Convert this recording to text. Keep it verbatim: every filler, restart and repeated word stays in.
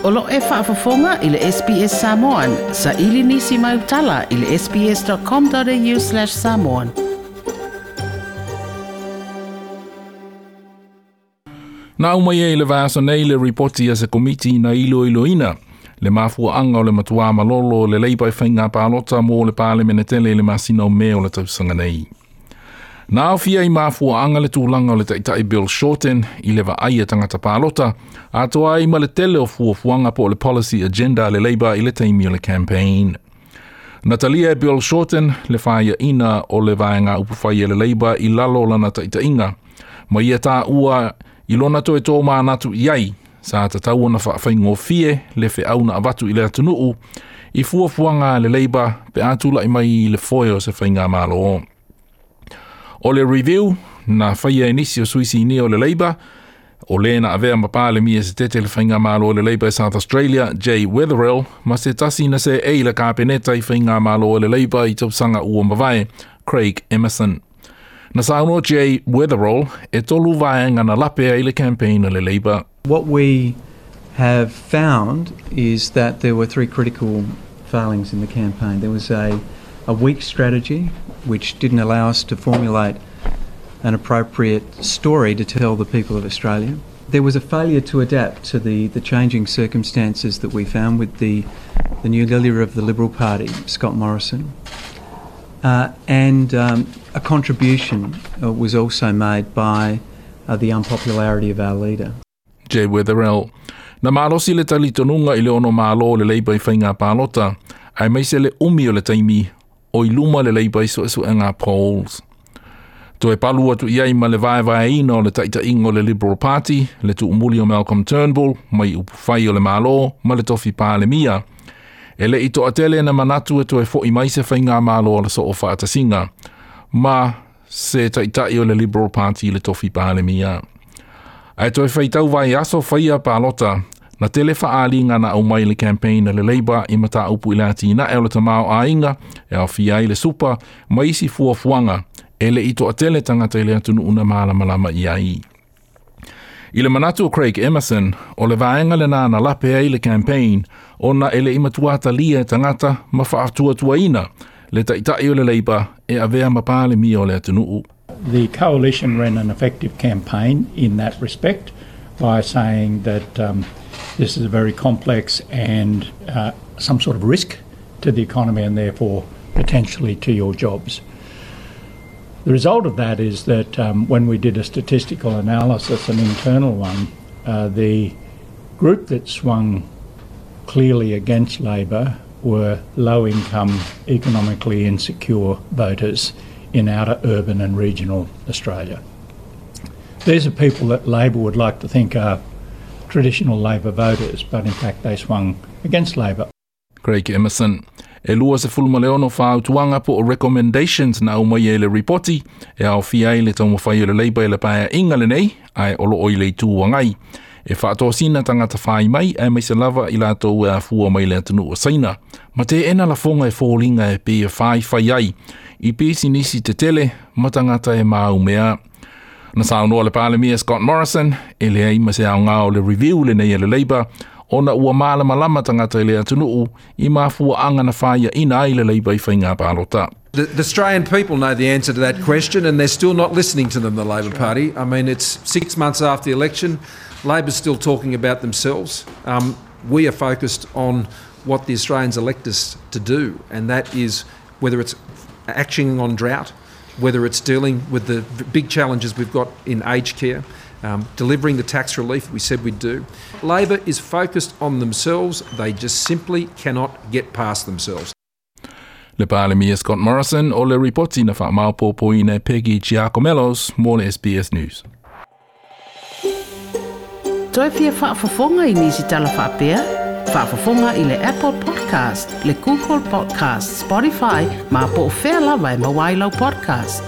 O lo e faafofoga i le S B S Samoan, sa ili nisi mai utala i le S B S dot com dot A U slash samoan. Na aumai ai le vaiaso nei le ripoti a se komiti na iloiloina le mafuaanga o le matuā malolo le Labour i faiga palota mo le palemene tele i le masina o Me o le tausaga nei. Na aofia i mafuaanga le tulaga o le taitai Bill Shorten i le vaai a tagata palota, atoa ai ma le tele o fuafuaga po o le policy agenda a le Labour i le taimi o le campaign. Na talia e Bill Shorten le faiaina o le vaega upufai e le Labour i lalo o lana taitaiga, ma ia taua i lona toe tō manatu i ai, sa tatau ona faafaigofie le feau na avatu i le atunuu, i fuafuaga a le Labour pe a tulai mai i le foe o se faigamalo. O le review na faia e nisi o sui sinia o le Labour, o le na avea ma palemia se tete le faigamalo o le Labour South Australia, Jay Weatherill, ma se tasi na seei i le kapeneta i faigamalo o le Labour i tausaga ua mavae, Craig Emerson. Na saunoa Jay Weatherill e tolu vaega na lape ai le campaign a le Labour. What we have found is that there were three critical failings in the campaign. There was a, a weak strategy which didn't allow us to formulate an appropriate story to tell the people of Australia. There was a failure to adapt to the, the changing circumstances that we found with the, the new leader of the Liberal Party, Scott Morrison. Uh, and um, a contribution uh, was also made by uh, the unpopularity of our leader. Jay Weatherill. Na malosi le talitonuga i le ono malo le Labour i faiga palota, aemaise le umi o le taimi o i luma le Labour i suesuega polls. Toe palu atu i ai ma le vaevaeina o le taitaiga o le Liberal Party, le tuumuli o Malcolm Turnbull, mai upufai o le Malo, ma le tofi palemia. E le i toatele na manatu e toe foi mai se faigamalo o le soofaatasiga, ma se taitai o le Liberal Party le tofi palemia. Ae toe faitau vaiaso faia palota, na tele faaaliga na aumai le campaign a le Labour i mataupu i le atinae o le tamaoaiga e aofia ai le super ma isi fuafuaga e le i toatele tagata i le atunuu na malamalama i ai. I le manatu o Craig Emerson, o le vaega lena na lape ai le campaign, ona e le i matua talia e tagata ma faatuatuaina le taitai o le Labour e avea ma palemia o le atunuu. The coalition ran an effective campaign in that respect by saying that um, this is a very complex and uh, some sort of risk to the economy and therefore potentially to your jobs. The result of that is that um, when we did a statistical analysis, an internal one, uh, the group that swung clearly against Labor were low income, economically insecure voters in outer urban and regional Australia. These are people that Labor would like to think are traditional Labor voters, but in fact they swung against Labor. Craig Emerson. E lua sefulu ma le ono fautuaga po o recommendations na aumai e le ripoti e aofia ai le taumafai o le Labour i le paeaiga lenei ae o loo i le Itu Agai. E faatosina tagata fai mai aemaise lava i latou e afua mai le atunuu o Saina. Ma teena lafoga e foliga e pei e faifai ai i pisinisi tetele ma tagata e maumea. Na saunoa le Palemia Scott Morrison e leai ma se aoga o le review lenei e le Labour ona ua malamalama tagata i le atunuu i mafuaaga na faiaina ai le Labour i faiga palota. The, the Australian people know the answer to that question, and they're still not listening to them, the Labor Party. I mean, it's six months after the election. Labor's still talking about themselves. Um, we are focused on what the Australians elect us to do, and that is whether it's actioning on drought, whether it's dealing with the big challenges we've got in aged care, um, delivering the tax relief we said we'd do. Labor is focused on themselves. They just simply cannot get past themselves. Le Palemia Scott Morrison o le ripoti na faamaopoopoina e Peggy Giakoumelos mo le S B S News. Toe fia faafofoga i nisi tala faapea? Faafofoga i le Apple Podcast, le Google Podcast, Spotify, ma po o fea lava e maua ai lau podcast.